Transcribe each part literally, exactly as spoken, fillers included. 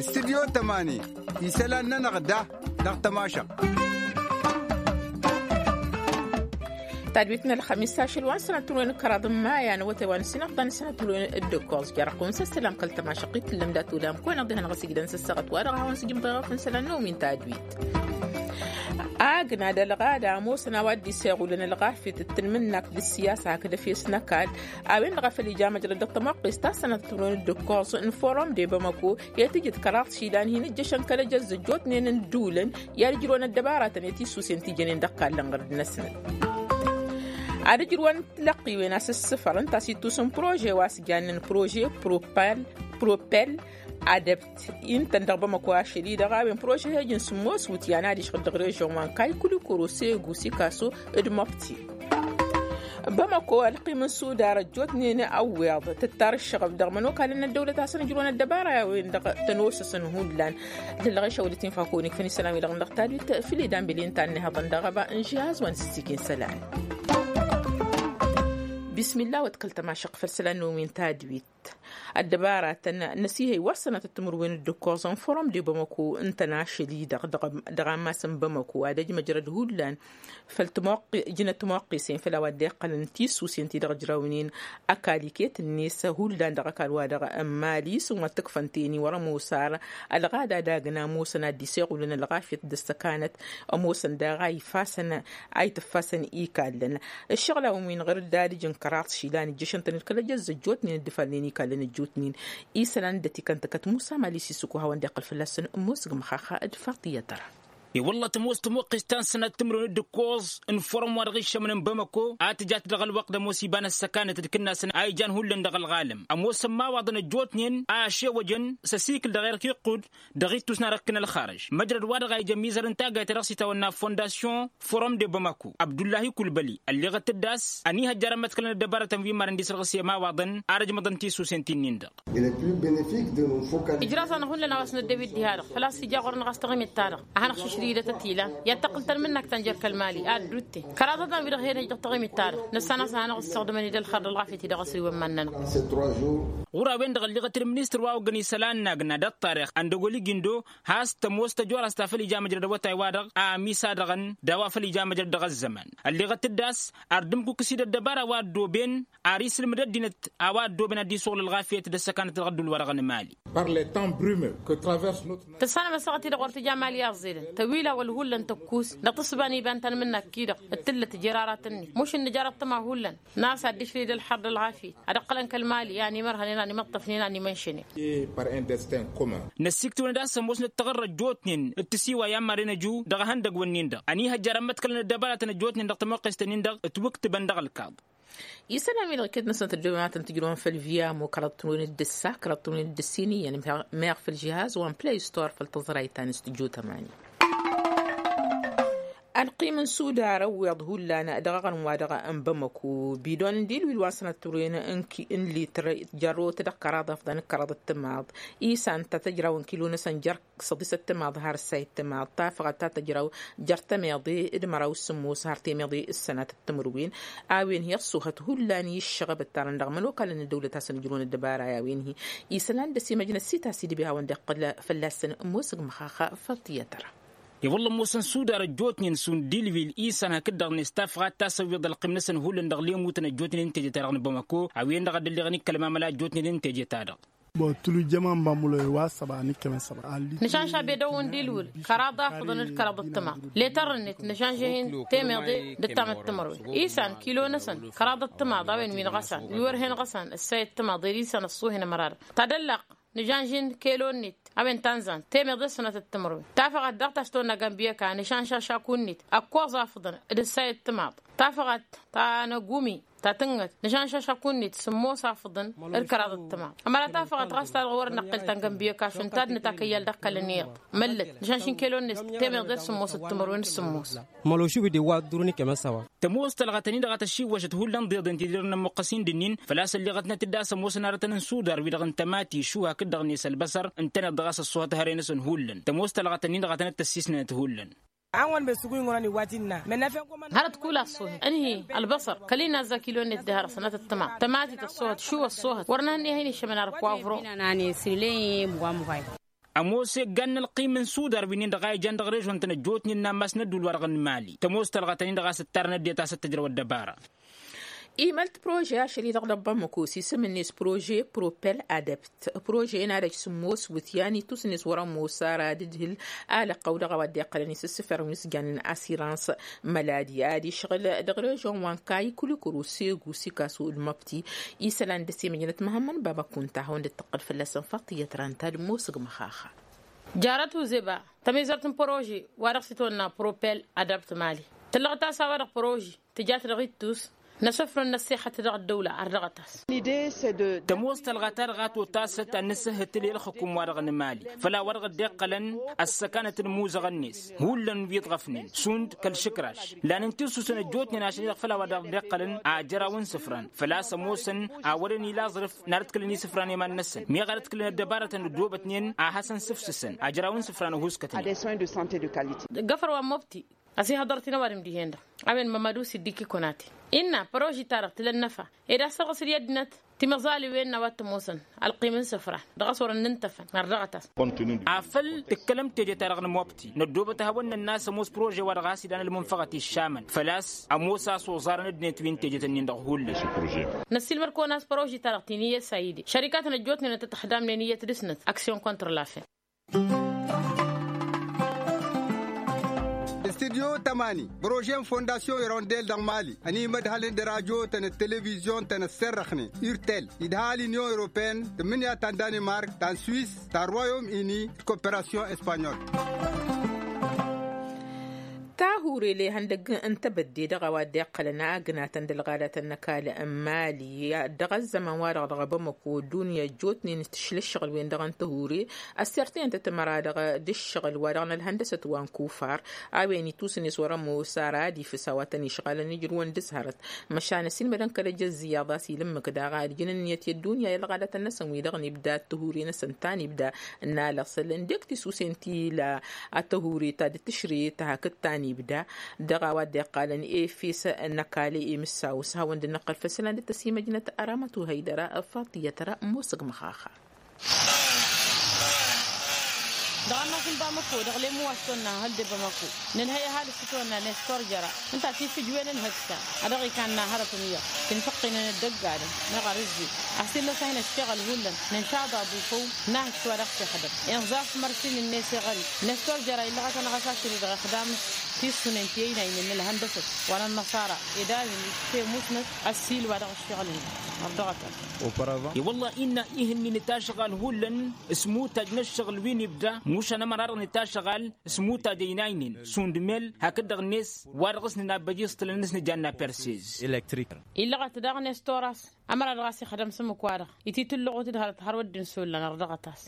Studyo tămani isălan-nănăɣ da dăɣ-tămašăɣt. Tadwit n-ălxămis ašăl wa n-sănatălwen kăraḍ n-maya n-awătay wa n-sinăɣḍa n-sănatălwen d-ǝkkoẓ jarăɣ-kăwăn s-ăssălam kăl-tămašăɣt-i tǝllăm dat-ulam kăwăn-ăḍḍihăn ɣas igdăn s-ăssăɣăt wa dăɣ-a hawăn-sǝjǝm ḍeɣăf n-isălan n-omin tadwit. Agna d-ălɣada ămoosăn a-wa dd-iseɣulăn ălɣafyăt d-tanmǝnnakt d-ǝssiyasa hakd efes n-ăkall a-wen-dăɣ a făl ija măjrăd dăɣ-tămoqqest ta s-sănatăt tǝmrǝwăn d-ǝkkoẓ n-forum de bamako i-ad-tǝjǝd kăraḍ išilan hin-ǝjjăšăn kăl-ejăzz ăjjootnen n-ǝddǝwǝlăn i-ad-ǝjrǝwăn ăddăbaratăn i-tissusen ti jănen dăɣ-kallăn ɣărd-năsnăt. Ad-ǝjrǝwăn tilăqqiwen a-s ǝssǝfăr ǝnta a-s ittus n-prože wa s-jannen prože propel propel adăbt intăn dăɣ-bamako ašăl-i-dăɣ a-wen prože hejăn sǝmmos wǝtyan ad-išɣǝl dăɣ-režon wa n-kaykulikoro segu sikaso d-mobti. Bamako ălqim n-sudar ăjjootnen ăwweḍ tǝttar ǝššăɣăb dăɣ-imănokalăn n-ăddăwlăt a-s ănǝjrǝwăn ăddăbara i-a-wen-dăɣ tănoosăsăn hullan. Lălɣešăwălăt-in fakăwăn ikfăn isălan-wi-dăɣ n-dăɣ tadwit făll-idan beli ǝnta a ănnihăḍăn dăɣ-ăba n-žihaz wa n-sǝssikin isălan. Bismillah wa d-kăl-tămašăɣt făll-isălan n-omin tadwit. Ăddăbaratăn n-asihăy wa s-sănatăt timǝrwen d-ǝkkoẓăn forum de bamako ǝntăn ašăl-i-dăɣ dăɣ-ammas n-bamako ad-ăj măjrăd hullan făll-timoqqi ǝjnăt timoqqisen făll-a-wa dd-iqqălăn tisusen ti-dăɣ ǝjrawnen ăkall iket-net hullan dăɣ-ăkall-wa-dăɣ n-mali s-ǝnwăt tǝkfăn teni wăr-ămoos ar ălɣada d-agna ămoosăn ad-dd-iseɣulăn ălɣafyăt d-ăssăkanăt ămoosăn daɣ a ifasăn a itǝffasăn ikallăn. Ǝššăɣǝl-awăn wi n-ɣăr-dd ad-ǝjǝn kăraḍ išilan ǝjjăšăn-tăn d-kăl-ejăzz ăjjootnen dd-ifalnen ikallăn ăjjootnen isălan dd-ătikăn tăkăt musa mali s-isǝkku hawăn-dd-iqqăl fălla-săn ămoos g-măxaxa d-faḍt iyyăt tăra. I-wălla tămoos tămoqqes ta n-sănat timǝrwen d-ǝkkoẓ n-forum wa dăɣ-iššămăn n-bamako a tǝjat dăɣ-ălwăqq d-ămoos iba n-ăssăkanăt d-kǝnnasăn a ijan hullan dăɣ-ălɣalăm ămoosăn imawaḍăn ăjjootnen a ăšewăjăn s-ăsikǝl dăɣ-erk iqqud dăɣ-ittus n-arăkk n-ălxarăj măjrăd-wa-dăɣ a ijăn imizăr n-taggayt ta dăɣ-s itawănna fondasyon forum de bamako abdullahi kulbăli ălleɣăt-dd a-s ănihăjjar ămmăḍkălăn ăddăbarătăn wi n-imarăn d-isărɣǝs i-ămawaḍăn ar ăjmăḍăn tisusen ti-nin-dăɣ. Ǝjraẓ-anăɣ hullan a-wa s-năddăw-dd diha-dăɣ făl-a-s ija ɣur-năɣ a-s taɣimit-ta-dăɣ a hanăɣ-šǝšrǝydăt ătilan i-ad-tăqqǝl tanmǝnnakt ta n-jer-kăl-mali a ăddutte kăraḍăt-an-wi-dăɣ hen-ăj dăɣ-taɣimit-ta-dăɣ nǝssan a-s a hanăɣ-ǝssăɣdǝmăn-dd ălxer d-ălɣafyăt-i dăɣ-asǝl i-wăn iman-nănăɣ. Ɣur-a-wen-dăɣ ălliɣăt d-ministăr wa oggăn isălan n-agna d-ăṭṭarix ăndăgol igindo has-tămoos tăjorast ta făl ija măjrăd awătay-wa-dăɣ a ămisadăɣăn d-a-wa făl ija măjrăd dăɣ-ăzzăman ălleɣăt-dd a-s ar dd-ǝmkukǝs-dd ăddăbara wa ăddooben ar isǝlmǝd ăddinăt a-wa ăddooben ad-dd-isuɣǝl ălɣafyăt d-ăssăkanăt dăɣ-ădduul-wa-dăɣ n-emali. Par les temps brumeux que traverse notre nation. Tǝssanăm ăssaɣăt-i-dăɣ wăr tǝja emali i-aẓẓelăn tăwila wăl hullan tăkkus dăɣ-tǝssǝba n-iba n-tanmǝnnak-i-dăɣ d-tǝllăt jer-aratăn-net mušǝn nǝjar ăṭṭăma hullan n-a-s ad-dd-išlǝy d-ălxer d-ălɣafyăt ad-ǝqqălăn kăl-mali i-ad-nimărhănen ad-nimăṭṭăfnen ad-nimănšănen. Năssiktǝwăn-dd a-s ămoosnăt taɣărrăt jotnen d-tisiwa i-ammarăn ăju dăɣ-ehăndăgg-wǝnnin-dăɣ ănihăjjar ămmăḍkălăn ăddăbaratăn ăjotnen dăɣ-tămoqqest-nin-dăɣ ǝtwǝktǝbăn dăɣ-ălkaḍ. Isălan-wi-dăɣ iket-năsăn tăddoben wa tăn-tǝjrǝwăn făll-viyamo kăraḍ-tǝnwen d-ǝssa kăraḍ-tǝnwen d-ǝssin iyyăn meɣ făll-žihaz wa n-play store făll-tăẓrayt ta n-studyo tămani. Ălqim n-sudar ăwweḍ hullan dăɣ-aɣrǝm-wa-dăɣ n-bamăko bidon n-dilwil wa n-sănat turwen n-litr jărrot dăɣ-kăraḍ afḍăn d-kăraḍ d-timaḍ isan ta tăjraw n-kilo-năsăn jer-săḍisăt timaḍ har ǝssayăt timaḍ tafăɣăt ta tăjraw jer-tămeḍe d-măraw s-sǝmmos har temeḍe s-sănatăt timǝrwen. A-wen hi-ăṣṣuhăt hullan i-ǝššăɣăb ǝttarăn dăɣ-imănokalăn n-ăddăwlăt a-s ănjrǝwăn ăddăbara i-a-wen-hi isălan d-ăsimăjnăt s-itas idǝbe a hawăn-dd-iqqǝl fălla-săn ămoosăg măxaxa făll-tiyyăt tăra. I-wălla ămoosăn sudar ăjjootnen šund dilwil isan hakd-dăɣ-net tafɣat ta s-ăwweḍ ălqim-năsăn hullan dăɣ-lemutăn ăjjootnen n-teje-ta-dăɣ n-bamăko. A-wen-dăɣ a dd-ălleɣăn ikkăl mamăla ăjjootnen n-teje-ta-dăɣ. Bătulu jăman bamulăy wa săba n-ikkămăn săba. Nǝšanša bedăw n-dilwǝl kăraḍ afǝḍăn d-kăraḍ d-tǝma letărrănet nǝšanšăh-in temeḍe d-ǝttamăt timărwen isan kilo-năsăn kăraḍ d-tǝmaḍ a-wen wi n-ɣăsan wi wăr hen ɣăsan ǝssay d-tǝmaḍ ed isan ăṣṣuhen ămăra-dăɣ ta d-ăllaq. Nǝšanšăh-in kelo-net a-wen ta n-zan temeḍe d-sănatăt timărwen tafăɣat daɣ ta s-tonna gambiyăka nǝšanša šaku-net ăkkoẓ afǝḍăn d-ǝssay d-tǝmaḍ tafăɣat ta n-agumi ta tǝnnăt nǝšanša šaku-net sǝmmos afǝḍăn d-kăraḍ d-tǝmaḍ ămăra tafăɣat ɣas ta dăɣ-wăr năqqel ta n-gambiyăka šund ta d-nǝtakăyyal dăɣ-kăl-ănniyyăḍ. Măllăt nǝšanšăh-in kelo-net temeḍe d-sǝmmos d-timărwen d-sǝmmos. Mălăw šubǝd iwwa ăddurăn ikămăn s-a-wa. Tămoos tălɣătăn-i-dăɣ a tăšiwwăšăt hullan ḍeḍen ti-dăɣ n-inămmuqqăs-in d-ǝnnin făl-a-s ălleɣătnet-dd a-s ămoosăn aratăn n-sudar wi-dăɣ n-tămati šuhak-dd-dăɣ-net ălbăsăr ǝntăneḍ dăɣ-a-s ăṣṣuhăt hărăy-năsăn hullan tămoos tălɣătăn-in-dăɣ a tănăt-tăssisnănăt hullan. An wăn be sugu inɣurăn iwwat innă. Hărăt kul a ăṣṣohăt ǝnhǝy ălbăṣăr kăl-inazza kilo-net d-ehărăsăn a tăttăma tămatit ăṣṣohăt šuw ăṣṣohăt wăr nǝhănney a hin-iššămăn ar poivro. Ămoos eggan n-ălqim n-sudar wi-nin-dăɣ a ijan dăɣ-režon-tăn ăjjootnen n-ammas n-ădduul-wa-dăɣ n-mali tămoos talɣa-tăn-in-dăɣ a-s ǝttarăn ăddinăt a-s ăttăjrăw ăddăbara. Imălt prože ašăl-i-dăɣ dăɣ-bamăko s-isǝm-net prože propel adept. Prože-en ad-ăj sǝmmos wǝtyan itusǝn-net wăr-ămoos ara d-ǝdhǝl alăqqăw dăɣ-a-wa dd-iqqălăn isǝssǝfărăn wi s-jannen asirans măladi ad-išɣǝl dăɣ-režon wa n-kayy kulikuru segu sikasu d-măbti. Isălan dăr-s imăjnăt măhămmăn baba kunta hawăn-dd-tăqqăl fălla-săn faṭiyăt ra ǝnta d-ămoosăg măxaxa. Jarăt uzeba tămizărt n-prože wa dăɣ-s itwănna propel adapt mali tǝllăɣ-t a-s a-wa-dăɣ prože tǝjat dăɣ-ittus n-asǝfrăn n-ăssexăt dăɣ-ăddăwla ărdăɣăt-as. Tămoos talɣa-ta-dăɣ a totasăt ad-nǝsǝhhǝtǝl i-ălxǝkum-wa-dăɣ n-emali făll-a-wa dăɣ-dd-iqqălăn ăssăkanăt n-imuzăɣăn-net hullan wi ǝḍɣăfnen šund kăl-išǝkraš. Lanǝnti ǝssusăn ăjjootnen ašăl-i-dăɣ făll-a-wa dăɣ-dd-iqqălăn ajăraw n-isǝfran făl-a-s ămoosăn a wărăn ila aẓrǝf n-ad-ǝtkǝlăn isǝfran i-iman-năsăn miɣ ad-ǝtkǝlăn ăddăbarătăn ăddoobătnen a hasăn-sǝfsǝsăn ajăraw n-isǝfran ăhuuskătnen. Găfăr wa n-mobti ăsihăḍăr-t-in ăwadǝm dihen-dăɣ a-wen mămădu s-dd-ikikonaten innă păroži-ta-dăɣ tǝla ănnăfa ed a-s tărɣǝs d-i ăddinăt timăẓaliwen n-a-wa t-ămoosăn ălqim n-isǝfran dăɣ-a-s wărăn n-intăfăn ărdăɣăt-as. Ăffăl tǝkkălăm teje-ta-dăɣ n-mobti năddoobăt ad-hawăn-nănn a-s ămoos prože-wa-dăɣ a-s idan ălmunfăɣăt iššamăn făl-a-s ămoos a-s oẓarăn ăddinăt wi n-teje-tăn-in-dăɣ hullan. Năssiilmăd-kăwăn a-s prože-ta-dăɣ ti n-iyyăt sayide šărikatăn ăjjootnen ăttătăxdamnen iyyăt dăr-snăt aksyon kontr-lafen. Studyo tămani prože n-fondasyon irondel dăɣ-mali ănimădhălăn d-rajotăn d-televizyon-tăn ăsserrăxnen urtel idha l-inyon europeen tǝmmǝnǝya ta n-danimark ta n-swis ta n-royom ini d-koperasyon espanyol. Tahure lehăn dăgg n-tebădde dăɣ-a-wa dd-iqqălăn agnatăn d-ălɣadatăn n-ăkall n-mali dăɣ-ăzzăman-wa-dăɣ dăɣ-bamăko ăddunya ăjjootnen tǝšla ǝššăɣǝl-wen-dăɣ n-tahure ăssirtăyăn-tăt măra-dăɣ d-ǝššăɣǝl-wa-dăɣ n-ălhăndăsăt wa n-kufar a-wen itusǝn-s wăr-ămoos ara ad-ifǝs a-wa tăn-išɣalăn ǝjrǝwăn d-ǝzhărăt. Măšan ăsiilmădăn kăl-ăj ăzziyaḍ a-s ila ǝmmǝk daɣ ad-ǝjǝn ǝnniyăt i-ăddunya i-ălɣadatăn-năsăn wi-dăɣ n-ibda ăttihure-năsăn ta n-ibda n-alăɣsăl n-dek tisusen ti ila ăttihure ta dd-tǝšrǝyăt hakd ta n-ibda. Dăɣ-a-wa dd-iqqalăn efes n-ăkall i-imǝssaw s-hawăn-dd-năqqăl făll-isălan dd-tăsimăjnăt aramăt uhăydăra faṭiyăt ra ămoosăg măxaxa. Dăɣ-ănnas n-bamăko dăɣ-lem wa s-tonna hăl de bamăko nǝnhăy ăhalǝs s-tonna nestor jăra ǝnta tifǝjwen n-hăksa a dăɣ-ikanna hărăt n-iyyăḍ tinfăqqinăn ăddăggadăn meɣ arǝzzi. Asil n-asăhna ăššăɣǝl hullan nǝnšaḍ aḍu făw n-ahǝks wa dăɣ-s ixdăm inẓaf mărsin-net iɣări nestor jăra illăɣăt-anăɣ a-s ašăl-i dăɣ-ixdam. Tissunen ti ăynaynen n-ălhăndăsăt wa n-ănnăṣara ed a-wen itemusnăt ăssiil wa dăɣ-ăššăɣǝl-net. Ărdăɣătăn. I-wălla innă ihǝnnin itašɣal hullan s-imutaj n-ăššăɣǝl wi n-ibda mušan ămăra-dăɣ n-itašɣal s-imutaj ăynaynen šund mel hakd-dăɣ-net wa dăɣ-s nǝnabbăj iẓtǝlăn n-s nǝjanna persez. Illăɣăt daɣ nestor a-s ămăra-dăɣ a-s ixdăm s-ǝmmǝk-wa-dăɣ ititǝllăɣut d-hărăt har wădden s-ollan ărdăɣăt-as.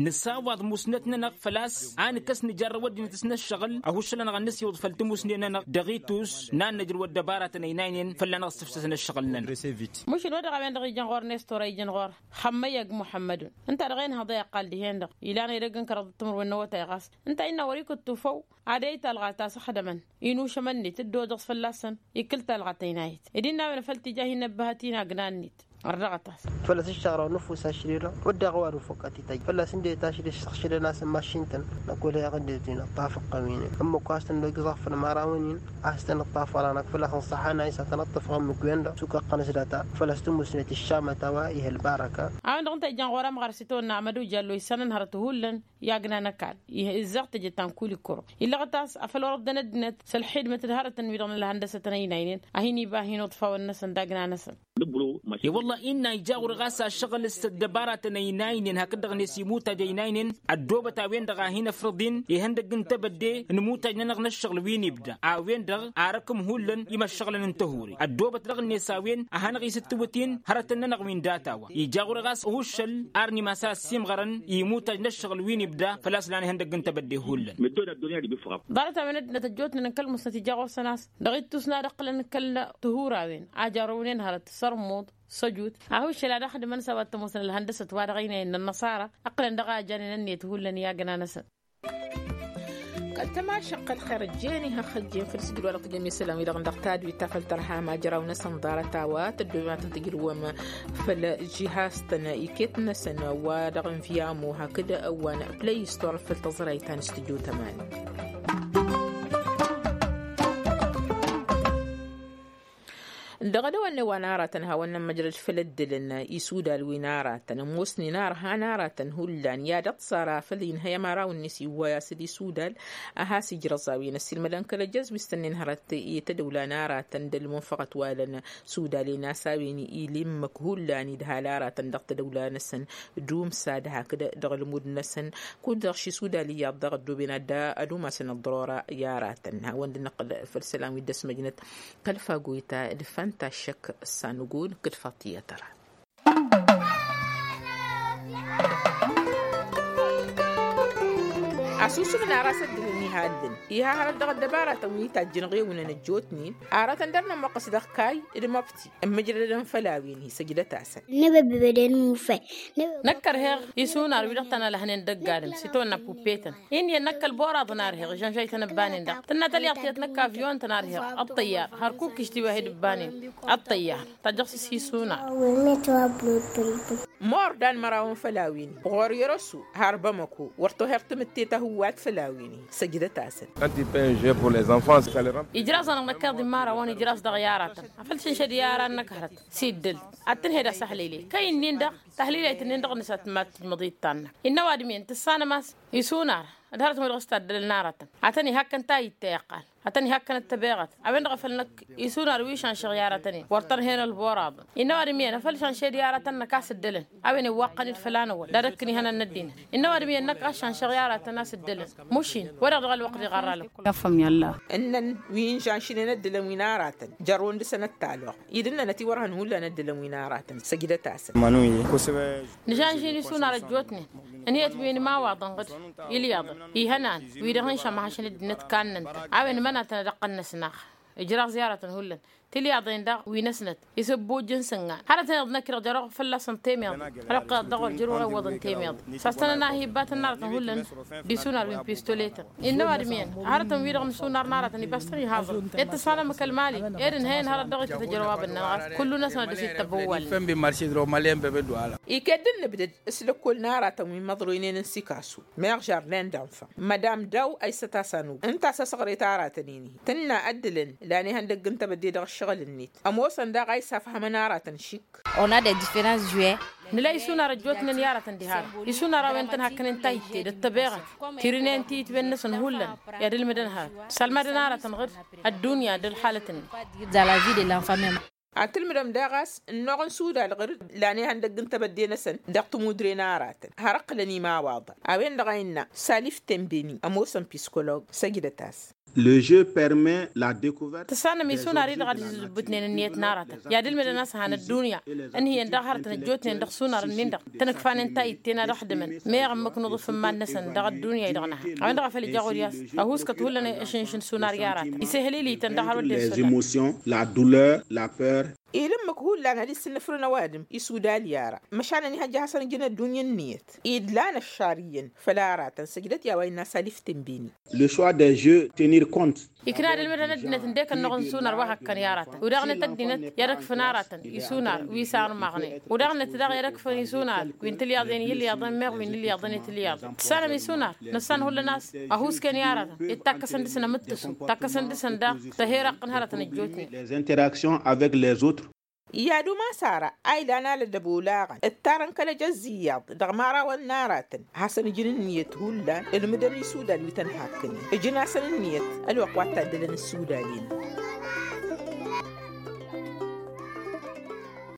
Nǝsawaḍ musnăt-nănăɣ făl-a-s a nǝkkăs nǝjarrăw ăddinăt s-năššăɣǝl ăhuššăl-anăɣ ad-nǝsiwǝḍ făll-timusnen-nănăɣ dăɣ-itus n-ad-nǝjrǝw ăddăbarătăn ăynaynen fălla-năɣ ǝssǝfsăsăn ăššăɣǝl-nănăɣ. Mušǝl wa dăɣ-a-wen-dăɣ ijăn ɣur-nestor a ijăn ɣur-xămmăyăg muḥămmădun ǝnta dăɣ-enhăḍ a iqqal dihen-dăɣ ilan edăgg n-kăraḍăt timǝrwen n-awătay ɣas ǝnta a innă wăr-ikǝttu făw. Ad-ăy talɣa ta s-ăxdămăn inušămăn-net dd-odăẓ fălla-săn ikǝl talɣa tăynayăt ed innă a-wen făl tija hin-năbbăhăt-in agna-net. Ărdăɣăt-as. Fălla-s ǝššăɣrăw nǝfus ašri-dăɣ wădden a-wa d-ufăqqăt ităjj fălla-s ǝnde tašri ǝššăɣšădăn-asăn mašin-tăn. Năkk wăla iɣǝdded-in ăṭṭaf ǝqqăm-inen ǝmmǝk wa s-tăn-dd-igǝẓ aɣfăn imărawăn-in a-s tăn-ǝṭṭaf wăla-năk fălla-s ănṣăḥăn a isătăn ǝṭṭăfăɣ ǝmmǝk-wen-dăɣ s-ukăqqăn s-data fălla-s tǝmmusnet ǝššamăt a-wa ih' ălbarăka. A-wen-dăɣ ǝnta ijăn ɣur-amɣar s-itawănna amădu jallo issanăn hărăt hullan i-agna n-ăkall. Izzăɣ tejăt ta n-kulikuro illăɣăt a-s afăl wăr-ăddăn ăddinăt s-ălxidmăt d-hărătăn-wi-dăɣ n-ălhăndăsăt n-ăynaynen a hin-iba hin-uḍfawăn-năsăn. I-wălla innă ija ɣur-e ɣas ašăɣǝl s-ăddăbaratăn ăynaynen hakd-dăɣ-net imutaj ăynaynen ăddoobăt a-wen-dăɣ a hin-ăfrăḍ-in ihăndăgg n-tebădde n-imutaj-nănăɣ n-ăššăɣǝl wi n-ibda a-wen-dăɣ arăkǝm hullan imăššăɣǝlăn n-tăhuri ăddoobăt dăɣ-net a-wen a hanăɣ-isǝttǝwǝt-in hărătăn-nănăɣ wi n-data-wa ija ɣur-e ɣas ăhuššăl ar nimas a ăssiimɣărăn i-imutaj n-ăššăɣǝl wi n-ibda făl-a-s lan ihăndăgg n-tebădde hullan. Ḍarăt-a-wen ăddinăt ăjjootnen n-kăl-musnăt ija ɣur-săn a-s dăɣ-ittus n-ad-ǝqqǝlăn kăl-tăhura-wen a jarrăwnen hărăt sărmuḍ săjut ahuššăl ad-ăxdǝmăn s-a-wa t-ămoosăn ălhăndăsăt wa dăɣ-ăynayăn n-ănnăṣara ǝqqǝlăn dăɣ-a ăjjanen ănniyăt hullan i-agna-năsăn. Tămašăqqăl xer ăjjeen ihăxxăjjen făll-sǝjǝd wa dăɣ-tǝjăm isălan-wi-dăɣ n-dăɣ tadwit ta făll-tărha ma jăraw-năsăn ḍarăt a-wa tăddoben ad-tăn-tǝjrǝwăm făll-žihaz-tăn iket-năsăn wa dăɣ-n viamo hakd wa n-play store făll-tăẓrayt ta n-studio tămani. Dăɣ-edăwănne wa n-aratăn hawăn-nămmăjrăd făll-ăddǝlăn isudal wi n-aratăn ămoosnen arhan aratăn hullan i-ad-ăṭṭăṣ ara făll-inhăy ămăraw-net iwway a-s d-isudal a has-ijrăẓ a-wen ăssiilmădăn kăl-ăjjăẓ wi s-tănnen hărăt i-tădăwla n-aratăn d-ălmunfăɣăt wa lăn sudalen a-s a-wen ilimmăk hullan idhal aratăn dăɣ-tădăwla-năsăn d-umsad hakd dăɣ-ălmud-năsăn kud-dăɣ šisudal iyyăḍ dăɣ-ăddoben ad-dd-umasăn ăḍḍărora i-aratăn hawăn-dd-năqqǝl făll-isălan wi dd-ăsmăjnăt kăl-fago ta d-fanta šăkk s-anǝgun kǝd faṭiyăt ăra. Asusǝm n-aras ăddinăn iha ǝllǝn iha hărăt dăɣ-ăddăbaratăn wi tajjǝnăɣ ewǝnăn ăjjootnen aratăn dăr-nămmuqqǝs dăɣ-kayy d-măbti ǝmmǝjrădăn făll-a-wen isăjdăt-asăn. Nǝbăbbăbăden mufay. Năkk ărheɣ isunar wi-dăɣ tăn-ălhănen dăgg-adǝm s-itawănna puppetăn. Inniyăn năkk ălboraḍ n-arheɣ ižănžăy-tăn ǝbbanen-dăɣ tǝnna tălyaḍt tiyyăt năkk avyon-tăn arheɣ ăṭṭăyyar hărkuk ištiwahid ǝbbanen ăṭṭăyyar. Tajjăɣ s-isunar. Mor dan mărawăn făll-a-wen ɣur-i răsu har bamăko wăr toher tamǝtte ta hǝwwat făll-a-wen săjdăt-asăn. Ijraẓ-anăɣ năkk iḍimma ara wăn ijraẓ dăɣ-i aratăn afăl šănšăd i-ara n-năkk hărăt s-iddǝl ad-tǝnhed asăhlile kăy-ǝnnin-dăɣ tahlilăyt-ǝnnin-dăɣ nǝsat mad-tǝjmăḍ i-dd ta-năk innă ăwadǝm-iyyăn tǝssanăm a-s isunar d-hărăt-wen-dăɣ s-taddălăn aratăn ad-tăn-ihakkăn tayǝtte iqqal ad-tăn-ihakkăn ăttăbeɣăt a-wen-dăɣ a făl năkk isunar wi šanšăɣ i-aratăn-in wăr tărhen ălboraḍăn innă ăwadǝm iyyăn afăl šanšăd i-aratăn-năk a-s ǝddălăn a-wen iwwaqqăn-dd făll-anăwăl d-ad-ăkk ǝnihănăn n-ăddinăt innă ăwadǝm iyyăn năkk a-s šanšăɣ i-aratăn a-s ǝddălăn mušin wa-dăɣ dăɣ-ălwăqq diɣarra lăkkul. Ǝnnăn wi n-šanšnen ăddălăn wi n-aratăn jărrăwăn dăɣ-săn ăttalăɣ idǝnnănăt i-wăr hăn hullan ăddălăn wi n-aratăn săjdăt-asăn. Nǝžănžin isunar ăjjootnen ăniyăt wi n-imawaḍăn ɣǝd ilyaḍăn ihănan wi-dăɣ n-šămhăšăn ăddinăt kannăn-tăn a-wen mănatăn ad-ăqqăn-năsnaɣ ijraẓ i-aratăn hullan tilyaḍen-dăɣ wi n-ăsnăt isǝbbujjăn s-ǝngan hărătăn iḍnăk-i-dăɣ jăr-oɣ fălla-săn temeḍe hărăt dăɣ-wăr jăr-oɣ iwwăḍăn temeḍe s-ad-tăn-ănahibbatăn n-aratăn hullan d-isunar wi n-pistoleten innă ăwadǝm iyyăn hărătăn-wi-dăɣ n-isunar n-aratăn ibas-tăn ihaẓrăn ed tǝssanăm kăl-mali ed ǝnhăyăn hărăt dăɣ-ităt ăjrăwabăn-nănăɣ a-s kullu-năsăn ad-dăr-s ittăbăwwalnen. Iket d-nǝbdăd s-lăkkol n-aratăn wi n-imăḍroynen n-sikasu meɣ žardin d-enfan madam daw aysăt a-s anug ǝnta a-s ăsɣăret aratăn-in-hi tǝnna ăddǝlăn lan ihăndăgg n-tebădde dăɣ-ǝššăɣǝl-net ămoosăn daɣ a isafhămăn aratăn šik. Nǝla isunar ăjjootnen i-aratăn diha-dăɣ isunar a-wen tăn-hakkănen tayǝtte d-ăttăbeɣăt tirǝnen tiyǝtwen-năsăn hullan i-ad-ǝlmǝdăn hărăt sălmadăn aratăn ɣǝr ăddunya d-ălxalăt-net. Ad-tǝlmǝdăm daɣ a-s ǝnnuɣ n-sudal ɣǝr-dd lan ihăndăgg n-tebădde-năsăn dăɣ-tămudre n-aratăn har ǝqqǝlăn imawaḍăn a-wen-dăɣ a innă salif tembeni ămoosăn piskoloɣ săjdăt-as. Le jeu permet la decouverte. Tǝssanăm isunar-i-dăɣ ad-izǝbbǝtnen ǝnniyăt n-aratăn i-ad-ǝlmǝdăn a-s han ăddunya ǝnhǝyăn daɣ hărătăn ăjjootnen dăɣ-sunar-ǝnnin-dăɣ tăn-ǝkfanen tayǝtte n-ad-ăxdǝmăn meɣ ǝmmǝk n-uḍǝf n-iman-năsăn dăɣ-ăddunya-i-dăɣ n-aha a-wen-dăɣ a făl ija ɣur-i-as ăhuuskăt hullan ăšǝnšǝn sunar i-aratăn isǝhlǝy-li-tăn dăɣ-hărăt d-e-sudan. La douleur, la peur. Ila ǝmmǝk hullan ad-issǝnnǝfrǝn ăwadǝm isudal i-ara măšan ănihăjja hasăn-ǝjǝn ăddunya ǝnniyăt idlan ăššar iyyăn făll-aratăn săjdăt i-a-wa innă salif tǝnbini. Le choix des jeux tenir compte. Ikna d-ǝlmǝdăn ăddinăt ǝndek ănnuɣ n-sunar wa hăkkăn i-aratăn udaɣnăt ăddinăt i-ad-ăkfǝn aratăn isunar wi s-armaɣnen udaɣnăt daɣ i-ad-ăkfǝn isunar wi n-tilyaḍen i-ilyaḍen meɣ wi n-ilyaḍen i-tilyaḍen tǝssanăm isunar nǝssan hullan a-s ăhuusken i-aratăn ed takkăsăn dăɣ-săn amǝttǝsu takkăsăn dăɣ-săn daɣ tăheraqq n-hărătăn ăjjootnen. Les interactions avec les autres. I-ad-umas ara a ilan alădăb olaɣăn ǝttarăn kăl-ejăzz iyyăḍ dăɣ-imărawăn n-aratăn hasăn-ǝjǝn ǝnniyăt hullan ǝlmǝdăn isudal wi tăn-hakkănen ǝjǝn-asăn ǝnniyăt ălwăqq wa t-taddălăn ǝssudal-in.